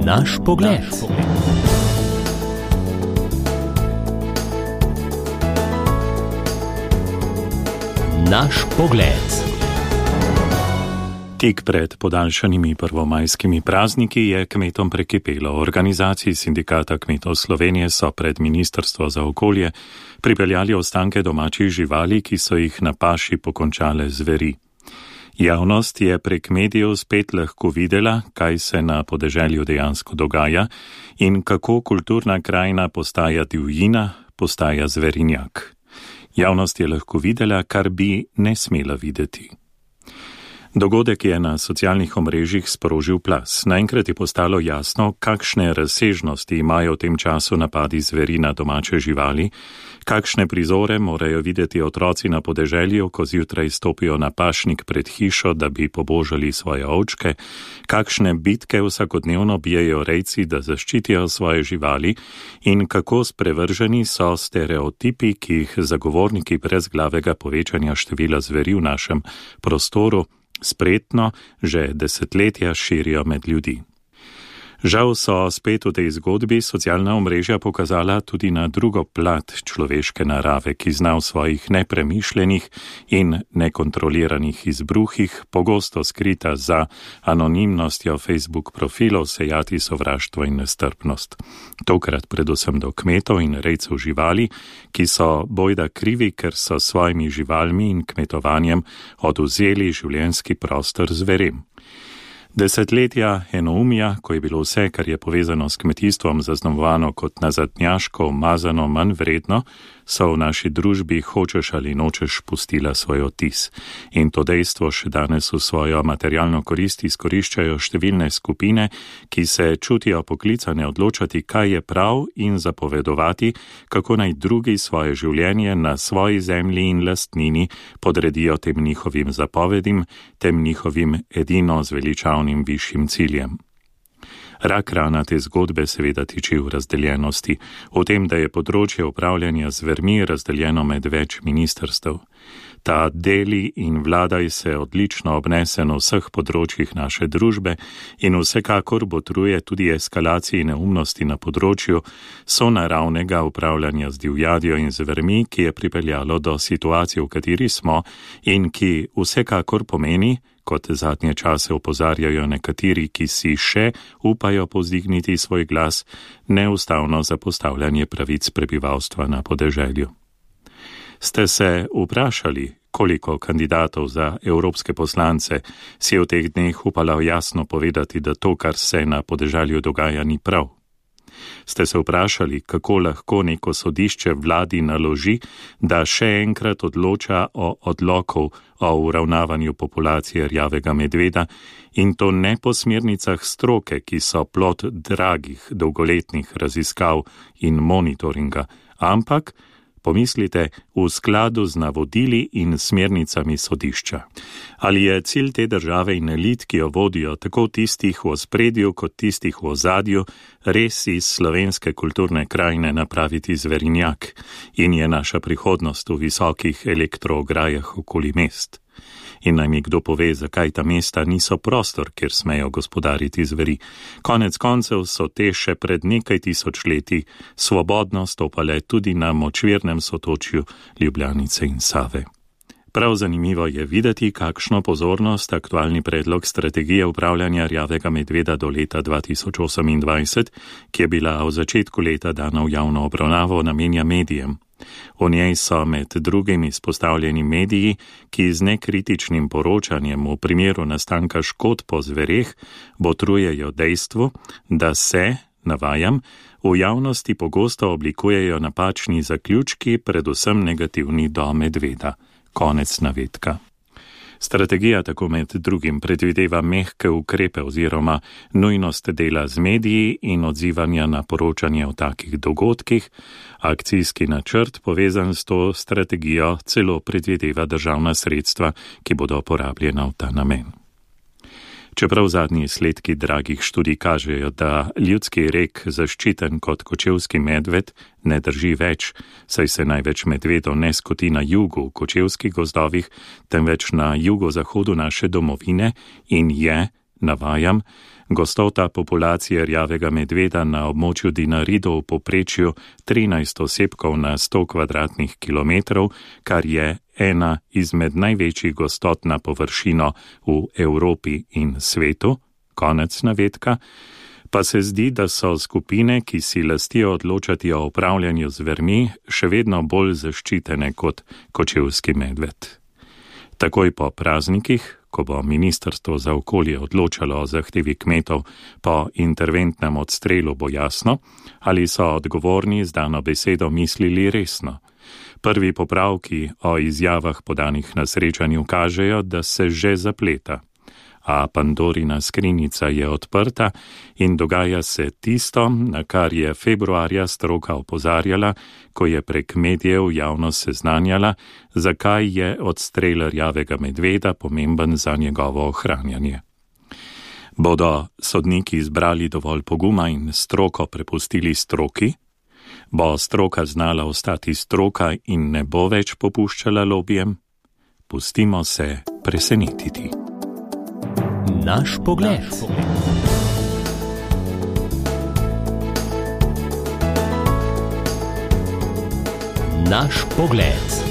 Naš pogled. Naš pogled. Tik pred podaljšanimi prvomajskimi prazniki je kmetom prekipelo. Organizaciji Sindikata kmetov Slovenije so pred Ministrstvo za okolje pripeljali ostanke domačih živali, ki so jih na paši pokončale zveri. Javnost je prek medijev spet lahko videla, kaj se na podeželju dejansko dogaja in kako kulturna krajina postaja divjina, postaja zverinjak. Javnost je lahko videla, kar bi ne smela videti. Dogodek je na socialnih omrežjih sprožil plaz. Naenkrat je postalo jasno, kakšne razsežnosti imajo v tem času napadi zveri na domače živali, kakšne prizore morajo videti otroci na podeželju, ko zjutraj stopijo na pašnik pred hišo, da bi pobožali svoje ovčke, kakšne bitke vsakodnevno bijejo rejci, da zaščitijo svoje živali in kako sprevrženi so stereotipi, ki jih zagovorniki brezglavega povečanja števila zveri v našem prostoru spretno že desetletja širijo med ljudi. Žal so spet v tej zgodbi socialna omrežja pokazala tudi na drugo plat človeške narave, ki zna v svojih nepremišljenih in nekontroliranih izbruhih, pogosto skrita za anonimnostjo Facebook profilov, sejati sovraštvo in nestrpnost. Tokrat predvsem do kmetov in rejcev živali, ki so bojda krivi, ker so svojimi živalmi in kmetovanjem odvzeli življenjski prostor zverem. Desetletja enoumja, ko je bilo vse, kar je povezano s kmetijstvom zaznamovano kot nazadnjaško, umazano, manj vredno, so v naši družbi hočeš ali nočeš pustila svoj odtis. In to dejstvo še danes v svojo materialno korist izkoriščajo številne skupine, ki se čutijo poklicane odločati, kaj je prav in zapovedovati, kako naj drugi svoje življenje na svoji zemlji in lastnini podredijo tem njihovim zapovedim, tem njihovim edino zveličavnim višjim ciljem. Rak rana te zgodbe seveda tiči v razdeljenosti, v tem, da je področje upravljanja z zvermi razdeljeno med več ministrstev. Ta deli in vladaj se odlično obnese na vseh področjih naše družbe in vsekakor botruje tudi eskalaciji neumnosti na področju sonaravnega upravljanja z divjadjo in zvermi, ki je pripeljalo do situacije, v kateri smo in ki vsekakor pomeni, kot zadnje čase opozarjajo nekateri, ki si še upajo povzdigniti svoj glas, neustavno zapostavljanje pravic prebivalstva na podeželju. Ste se vprašali, koliko kandidatov za evropske poslance si je v teh dneh upalo jasno povedati, da to, kar se na podeželju dogaja, ni prav? Ste se vprašali, kako lahko neko sodišče vladi naloži, da še enkrat odloča o odloku o uravnavanju populacije rjavega medveda in to ne po smernicah stroke, ki so plod dragih dolgoletnih raziskav in monitoringa, ampak, pomislite, v skladu z navodili in smernicami sodišča. Ali je cilj te države in elit, ki jo vodijo tako tistih v ospredju kot tistih v ozadju, res iz slovenske kulturne krajine napraviti zverinjak in je naša prihodnost v visokih elektroograjah okoli mest? In naj mi kdo pove, zakaj ta mesta niso prostor, kjer smejo gospodariti zveri. Konec koncev so te še pred nekaj tisočletji svobodno stopale tudi na močvirnem sotočju Ljubljanice in Save. Prav zanimivo je videti, kakšno pozornost aktualni predlog strategije upravljanja rjavega medveda do leta 2028, ki je bila v začetku leta dana v javno obravnavo, namenja medijem. V njej so med drugim izpostavljeni mediji, ki z nekritičnim poročanjem v primeru nastanka škod po zvereh botrujejo dejstvu, da se, navajam, v javnosti pogosto oblikujejo napačni zaključki, predvsem negativni do medveda. Konec navedka. Strategija tako med drugim predvideva mehke ukrepe oziroma nujnost dela z mediji in odzivanja na poročanje o takih dogodkih. Akcijski načrt povezan s to strategijo celo predvideva državna sredstva, ki bodo porabljena v ta namen. Čeprav zadnji izsledki dragih študij kažejo, da ljudski rek zaščiten kot kočevski medved ne drži več, saj se največ medvedov ne skoti na jugu v kočevskih gozdovih, temveč na jugozahodu naše domovine in je, Navajam, gostota populacije rjavega medveda na območju Dinaridov v povprečju 13 osebkov na 100 kvadratnih kilometrov, kar je ena izmed največjih gostot na površino v Evropi in svetu, konec navedka, pa se zdi, da so skupine, ki si lastijo odločati o upravljanju z zvermi, še vedno bolj zaščitene kot kočevski medved. Takoj po praznikih, ko bo Ministrstvo za okolje odločalo o zahtevi kmetov po interventnem odstrelu, bo jasno, ali so odgovorni z dano besedo mislili resno. Prvi popravki o izjavah podanih na srečanju kažejo, da se že zapleta. A Pandorina skrinjica je odprta in dogaja se tisto, na kar je februarja stroka opozarjala, ko je prek medijev javnost seznanjala, zakaj je odstrel rjavega medveda pomemben za njegovo ohranjanje. Bodo sodniki izbrali dovolj poguma in stroko prepustili stroki? Bo stroka znala ostati stroka in ne bo več popuščala lobijem? Pustimo se presenetiti. Naš pogled. Naš pogled.